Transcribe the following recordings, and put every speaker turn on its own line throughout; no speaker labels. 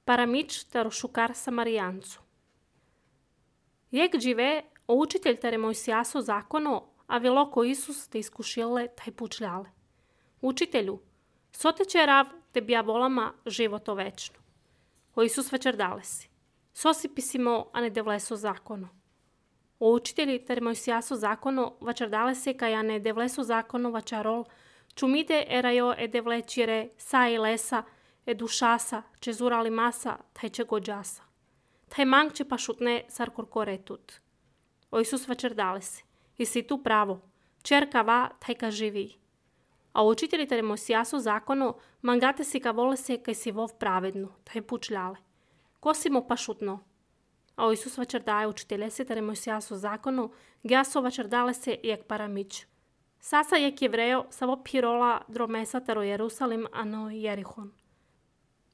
Paramič taro šukar Samarijancu. Jak žive, učitelj tere Mojsijaso zakono, a veloko Isus te iskušile taj pučljale. Učitelju, soteče rav te bja volama životo večno. O Isus večer dale si. Sosi pisimo, a ne devleso zakono. O učitelji tere Mojsijaso zakono večer dale se kaj a ne devleso zakono vačarol, čumide erajo e devlečire sa i lesa, e dušasa, če zurali masa, taj če gođasa. Taj mang če pa šutne sar korkoretut. O Isus večer dale si. I si tu pravo, čerka va, taj ka živi. A učitelji tere Mojsijaso zakono, mangate si ka vole se kaj si vov pravednu, taj pučljale. Ko si mo pa šutno? A o Isus večer daje učitelje se tere Mojsijaso zakono, gjaso večer dale se jak paramič. Sasa jak jevrejo sa vo pirola dromesa tero Jerusalim ano Jerihon.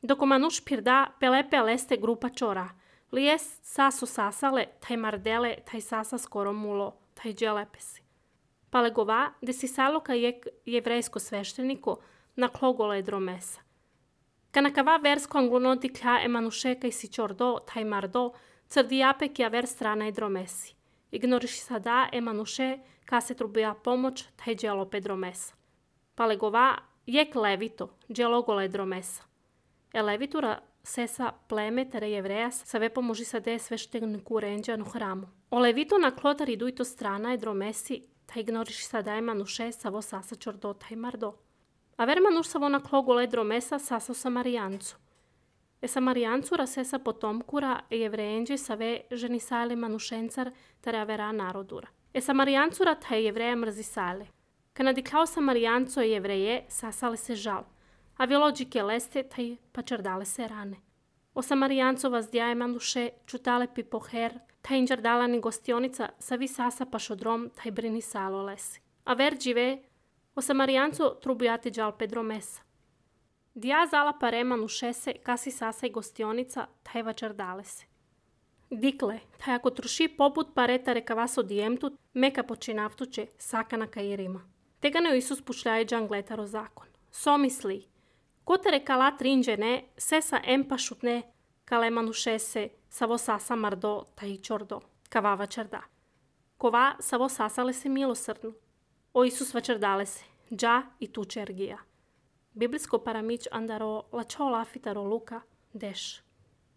Doko manuš pirda pelepe leste grupa čora, lijes saso sasale, taj mardele, taj sasa skoro mulo, taj dželepesi. Palegova, de si saloka jek jevrejsko svešteniko na klogole dromesa. Kanakava versko anglunoti klja emanuše kaj si čordo, taj mardo, crdijape kja ver strana i dromesi. Ignoriš sada emanuše ka se trubija pomoć, taj dželope dromesa. Palegova, jek levito, dželogole dromesa. Levitura sesa pleme tere jevrejas sa ve pomoži sa de svešteniku renđa no hramu. O levitu na klotari dujto strana i dromesi, ta ignoriš sada emanuše sa vo sasa čordo taj mardo. A ver manuš sa vo na klogole dromesa sasa Samarijancu. Samarijancura sesa potomkura jevrejenđe sa ve ženi sale manušencar tere avera narodura. Samarijancura ta jevreja mrzi sale. Kana diklao Samarijanco jevreje sasale se žal. A vjelođike leste taj pa čardale se rane. O Samarijancova zdjaje manuše čutale pi poher, taj inđardala ni gostionica sa vi sasa pa šodrom taj brini salo lesi. A ver džive, o Samarijanco trubujate džal pedro mesa. Dija zala pare manuše se kasi sasa i gostionica taj vačardale se. Dikle, taj ako truši poput pareta reka vas odijemtut, meka počinavtuće sakana kairima. Tega ne Isus pušljaje džangletaro zakon. So misli, ko te reka la trinđene, se sa empa šutne, kale manuše se, sa vo sasa mardo, taj čordo, kava vačarda. Kova sa vo sasale se milosrdnu. O Isus vačardale se, dža i tuče ergija. Biblijsko paramić andaro la čo lafitaro luka, deš.